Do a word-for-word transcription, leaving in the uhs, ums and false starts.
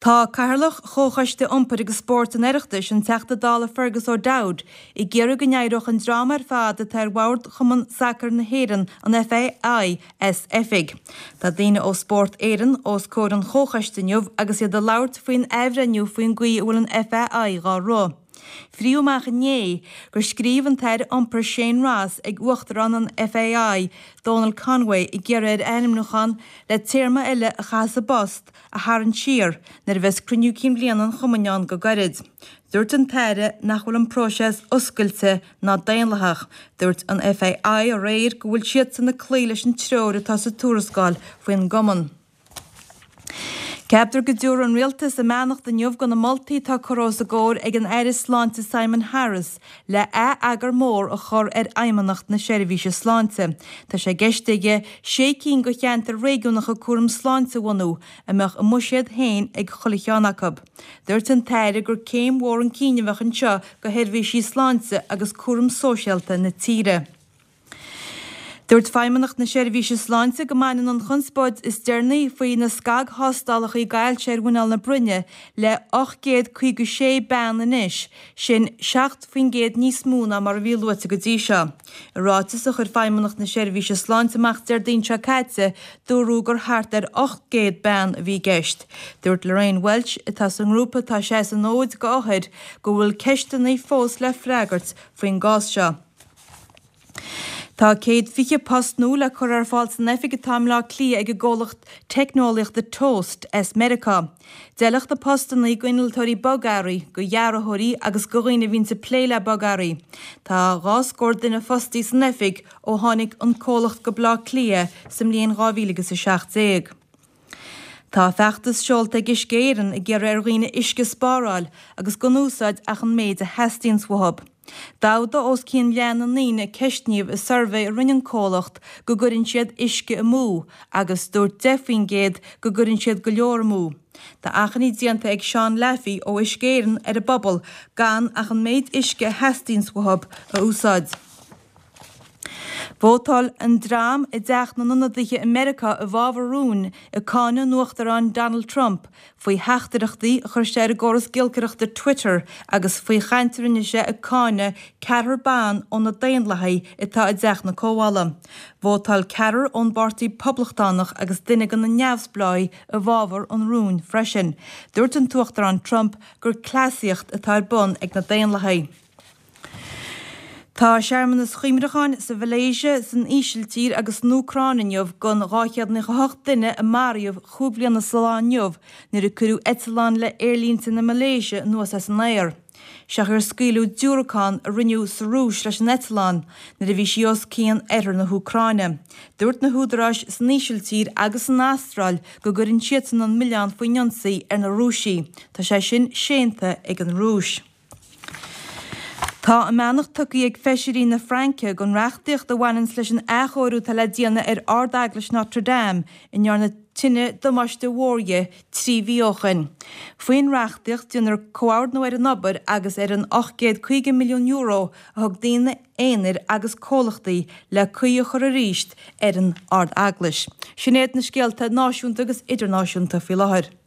Tá Cathaoirleach Chomhchoiste Iompair agus Spóirt an Oireachtais, an Teachta Dála Fergus O'Dowd, ag iarraidh go n-éireodh an dream ar fad atá ar bhord Chumann Sacair na hÉireann, an FAI, as oifig. Tá daoine ó Spórt Éireann os comhair an chomhchoiste inniu agus iad ag labhairt faoin athbhreithniú faoin gcaoi a bhfuil an FAI dhá rith. Fríodh amach inné gur scríobh an tAire Iompair Shane Ross ag Uachtarán an FAI, Donal Conway, ag iarraidh air a ainmniúchán le téarma eile a chaitheamh sa bpost a tharraingt siar nuair a bheas cruinniú cinn bhliana an chumainn ann go gairid. Dúirt an tAire nach bhfuil an próiseas oscailte ná daonlathach. Dúirt an FAI aréir go bhfuil siadsan ag cloí leis an treoir atá sa tuarascáil faoin gcumann. Ceaptar go dtabharfaidh an Rialtas a mbeannacht inniu do na moltaí atá curtha os a gcomhair ag an Aire Sláinte Simon Harris le ath-eagar mór a chur ar Fheidhmeannacht na Seirbhíse Sláinte. Tá sé i gceist aige sé cinn de cheantair réigiúnacha cúram sláinte a bhunú, a mbeadh a mbuiséad féin ag chuile cheann acu. Dúirt an tAire gur céim mhór chun cinn a bheadh anseo do sheirbhísí sláinte agus cúram sóisialta na tíre. Dúirt Feidhmeannacht na Seirbhíse Sláinte go mbaineann an chonspóid is deireanaí faoi na scagthástálacha ailse ar mhuineál na broinne le ocht gcéad caoga sé bean anois, sin seacht faoin gcéad níos mó ná mar a bhí luaite go dtí seo. I ráiteas a chuir Feidhmeannacht na Seirbhíse Sláinte amach Déardaoin seo caite, dúradh gur thart ar ocht gcéad bean a bhí i gceist. Dúirt Lorraine Walsh, atá sa ngrúpa atá ag seasamh an fhóid d'othair, go bhfuil ceisteanna fós le freagairt faoin gcás seo. Tá céad fiche post nua le cur ar fáil san oifig atá i mBleá Cliath ag an gcomhlacht teicneolaíochta Toast as Meiriceá. D'fheilfeadh na postanna d'innealtóirí bogearraí, do dhearthóirí agus do dhaoine a bhíonns ag plé le bogearraí. Tá dhá scór duine fostaí san oifig ó tháinig an comhlacht go Bleá Cliath sa mbliain dhá mhíle agus a seacht déag. Tá feachtas seolta ag Uisce Éireann ag iarraidh ar dhaoine uisce a spáráil agus gan úsáid ach an méid a theastaíonns uathu. D'fhada os cionn leath na ndaoine a ceistníodh i suirbhé a rinne an comhlacht go gcuireann siad uisce amú agus dúirt deich faoin gcéad go gcuireann siad go leor amú. Tá achainí déanta ag Seán Laffey ó Uisce Éireann ar an bpobal gan ach an méid uisce a theastaíonns uathu a úsáid. Vótáil an dream i dTeach na nIonadaithe i Meiriceá i bhfabhar rúin ag cáineadh an Uachtaráin Donald Trump faoi theachtaireachtaí a chuir sé ar an gcóras giolcaireachta Twitter agus faoi chaint a rinne sé ag cáineadh ceathrar ban ó na Daonlathaigh atá i dTeach na Comhdhála. Vótáil ceathrar ón bPáirtí Poblachtánach agus duine de na neamhspleáigh i bhfabhar an rúin freisin. Dúirt an tUachtarán Trump gur cleasaíocht atá ar bun ag na Daonlathaigh. Tá searmanas cuimhneacháin sa Mhalaeisia, san Ísiltír agus san Úcráin inniu don dhá chéad nócha a hocht duine a maraíodh cúig bliana sa lá inniu nuair a cuireadh eitleán le Aerlínte na Malaeisia anuas as an aer. Siocair scaoileadh diúracán a rinneadh sa Rúis leis an eitleán nuair a bhí sí os cionn oirthear na hÚcráine. Dúirt na húdaráis san Ísiltír agus san Astráil go gcuireann siadsan an milleán faoin ionsaí ar na Rúisigh. Tá sé sin séanta ag an Rúis. Tá a mbeannacht tugtha ag feisirí na Fraince don reachtaíocht a bhaineanns leis an athchóiriú atá le déanamh ar Ard-Eaglais Notre Dame a ndearna tine damáiste mhór dhi trí mhí ó shoin. Faoin reachtaíocht déanfar comhordnú ar an obair agus ar an ocht gcéad caoga milliún euro a thug daoine aonair agus comhlachtaí le caoi a chur arís ar an Ard-Eaglais. Sin iad na scéalta náisiúnta agus idirnáisiúnta faoi láthair.